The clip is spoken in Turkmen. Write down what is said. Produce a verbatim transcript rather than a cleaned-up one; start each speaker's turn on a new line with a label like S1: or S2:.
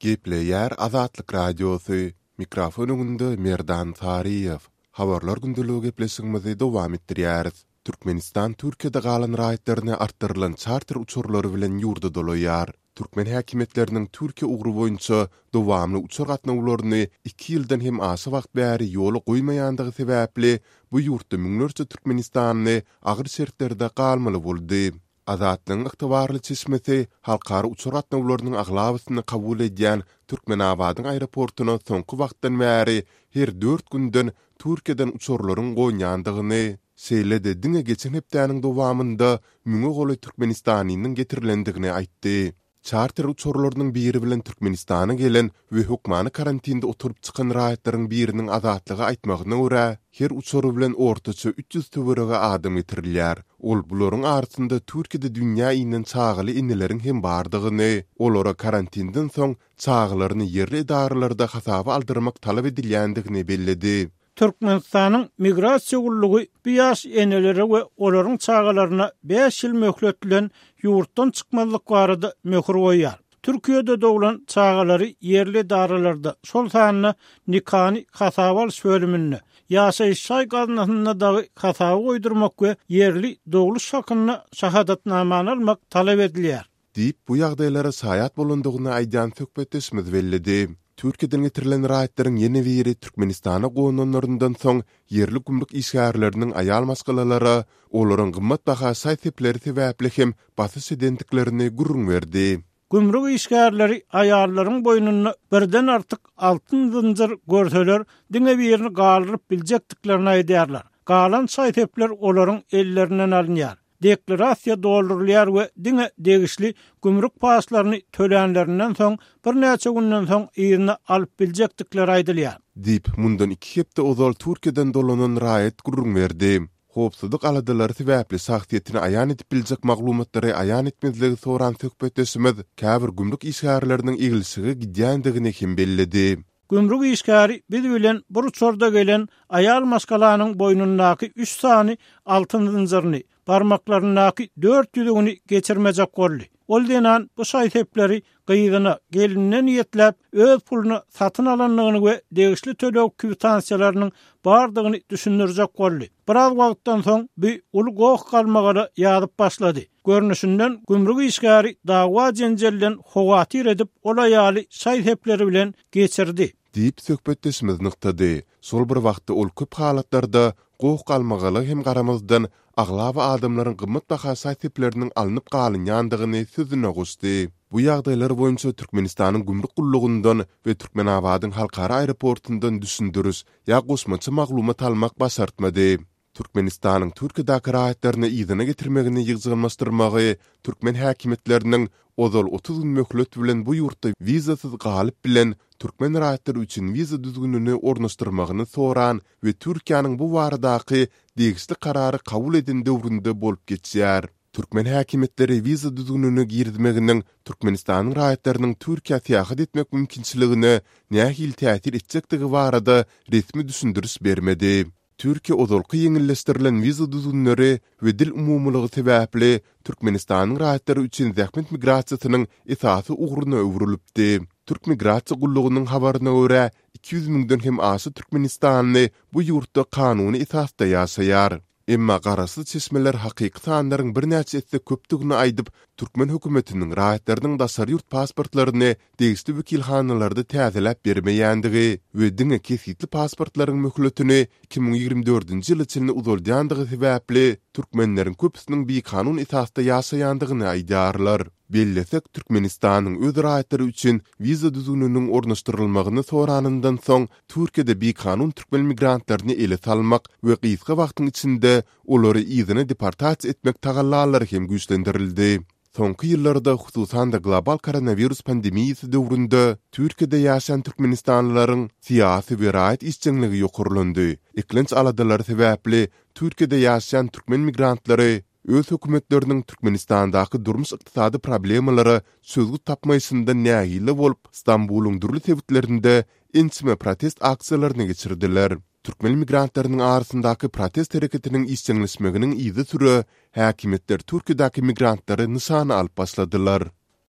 S1: Gepleýär Azatlyk Radiosy, mikrofon öňünde Merdan Saryýew. Habarlar gündeligi gepleşigimizi dowam etdirýäris. Türkmenistan Türkiýede galan raýatlaryny artdyrylan çarter uçarlary bilen ýurda dolaýar. Türkmen häkimiýetleriniň Türkiýe ugry boýunça dowamly uçar gatnawlaryny iki ýyldan hem aşa wagt bäri ýola goýmaýandygy sebäpli, bu ýurtda müňlerçe türkmenistanly agyr şertlerde galmaly boldy. Azatlygyň ygtybarly çeşmesi halkara uçar gatnawlarynyň aglabasyny kabul edýän Türkmenabadyň aeroportuna soňky wagtdan bäri her dört günden Türkiýeden uçarlaryň gonýandygyny, şeýle-de diňe geçen hepdäniň dowamynda müňe golaý türkmenistanlynyň getirilendigini aýtdy. Çarter uçarlarynyň biri bilen Türkmenistana gelen we hökmany karantinde oturyp çykan raýatlaryň biriniň Azatlyga aýtmagyna görä, her uçar bilen ortaça üç ýüz töweregi adam getirilýär. Ol bularyň arasynda Türkiýede dünýä inen çagaly eneleriň hem bardygyny, olara karantinden soň çagalaryny ýerli edaralarda hasaba aldyrmak talap edilýändigini belledi.
S2: Türkmenistanyň Migrasiýa gullugy bu ýaş enelere we olaryň çagalaryna bäş ýyl möhlet bilen ýurtdan çykmazlyk barada möhür goýýar. Türkiýede doglan çagalary ýerli edaralarda, şol sanda nikany hasaba alyş bölüminde, ýaşaýyş jaý gaznasynda dagy hasaba goýdurmak we ýerli dogluş hakynda şahadatnamany almak talap edilýär.
S1: Diýip, bu ýagdaýlara şaýat bolandygyny aýdýan söhbetdeşimiz belledi. Türkiýeden getirilen raýatlaryň ýene biri Türkmenistana gonanlaryndan soň ýerli gümrük işgärleriniň aýal maşgalalara olaryň gymmatbaha şaý-sepleri sebäpli hem basyş edendiklerini gürrüň berdi.
S2: Gümrük işgärleri aýallaryň boýnunda birden artyk altyn zynjyr görseler, diňe birini galdyryp biljekdiklerini aýdýarlar. Galan şaý-sepler olaryň ellerinden alynýar. Deklarasiýa doldurylýar we diňe degişli gümrük paçlaryny tölänlerinden soň, birnäçe günden soň yzyna alyp biljekdikleri aýdylýar.
S1: Diýip, mundan iki hepde ozal Türkiýeden dolanan raýat gürrüň berdi. Howpsuzlyk aladalary sebäpli şahsyýetini aýan edip biljek maglumatlary aýan etmezligi soran söhbetdeşimiz käbir gümrük işgärleriniň eglişige gidýändigini hem belledi.
S2: Gümrük işgäri biz bilen bir uçarda gelen aýal maşgalanyň boýnundaky üç sany altyn zynjyryny, barmaklaryndaky dört ýüzügini geçirmejek boldy. Ol zenan bu şaý-sepleri gyzyna, gelinine niýetläp, öz puluna satyn alandygyny we degişli töleg kwitansiýalarynyň bardygyny düşündirjek boldy. Biraz wagtdan soň bu uly goh-galmagala ýazyp başlady. Görnüşinden, gümrük işgäri dawa-jenjelden howatyr edip, ol aýaly şaý-sepleri bilen geçirdi.
S1: Diýip, söhbetdeşimiz nygtady. Şol bir wagtda ol köp halatlarda goh-galmagala hem garamazdan, aglaba adamlaryň gymmatbaha şaý-sepleriniň alnyp galynýandygyny sözüne goşdy. Bu ýagdaýlar boýunça Türkmenistanyň Gümrük gullugyndan we Türkmenabadyň halkara aeroportundan düşündiriş ýa goşmaça maglumat almak başartmady. Türkmenistanyň Türkiýedäki raýatlaryny yzyna getirmegini ýygjamlaşdyrmagy türkmen häkimiýetleriniň ozal otuz gün möhlet bilen bu ýurtda wizasyz galyp bilen türkmen raýatlary üçin wiza düzgünini ornaşdyrmagyny soran we Türkiýäniň bu baradaky degişli karary kabul eden döwründe bolup geçýär. Türkmen häkimiýetleri wiza düzgünini girizmeginiň Türkmenistanyň raýatlarynyň Türkiýä syýahat etmek mümkinçiligine nähili täsir etjekdigi barada resmi düşündiriş bermedi. Türkiýe ozalky ýeňilleşdirilen wiza düzgünleri we dil umumylygy sebäpli Türkmenistanyň raýatlary üçin zähmet migrasiýasynyň esasy ugruna öwrülipdi. Türk migrasiýa gullugynyň habaryna görä, iki ýüz müňden hem aşa türkmenistanly bu ýurtda kanuny esasda ýaşaýar. Emma garaşsyz çeşmeler hakyky sanlaryň birnäçe esse köpdügini aýdyp, türkmen hökümetiniň raýatlarynyň daşary ýurt pasportlaryny degişli wekilhanalarda täzeläp bermeýändigi we diňe kesgitli pasportlaryň möhletini iki müň ýigrimi dördünji ýyla çenli uzaldýandygy sebäpli türkmenleriň köpüsiniň bikanun esasda ýaşaýandygyny aýdýarlar. Bellesek, Türkmenistanyň öz raýatlary üçin wiza düzgüniniň ornaşdyrylmagyny soranyndan soň, Türkiýede bikanun türkmen migrantlaryny ele salmak we gysga wagtyň içinde olary yzyna deportasiýa etmek tagallalary hem güýçlendirildi. Soňky ýyllarda, hususan-da global koronawirus pandemiýasy döwründe Türkiýede ýaşaýan türkmenistanlylaryň syýasy we raýat işjeňligi ýokarlandy. Eklenç aladalary sebäpli Türkiýede ýaşaýan türkmen migrantlary öz hökümetleriniň Türkmenistandaky durmuş-ykdysady problemalara çözgüt tapmaýşyndan nägile bolup, Stambulyň dürli sebitlerinde ençeme protest aksiýalaryny geçirdiler. Türkmen migrantlarynyň arasyndaky protest hereketiniň işjeňleşmeginiň yzysüre häkimiýetler Türkiýedäki migrantlary nyşana alyp başladylar.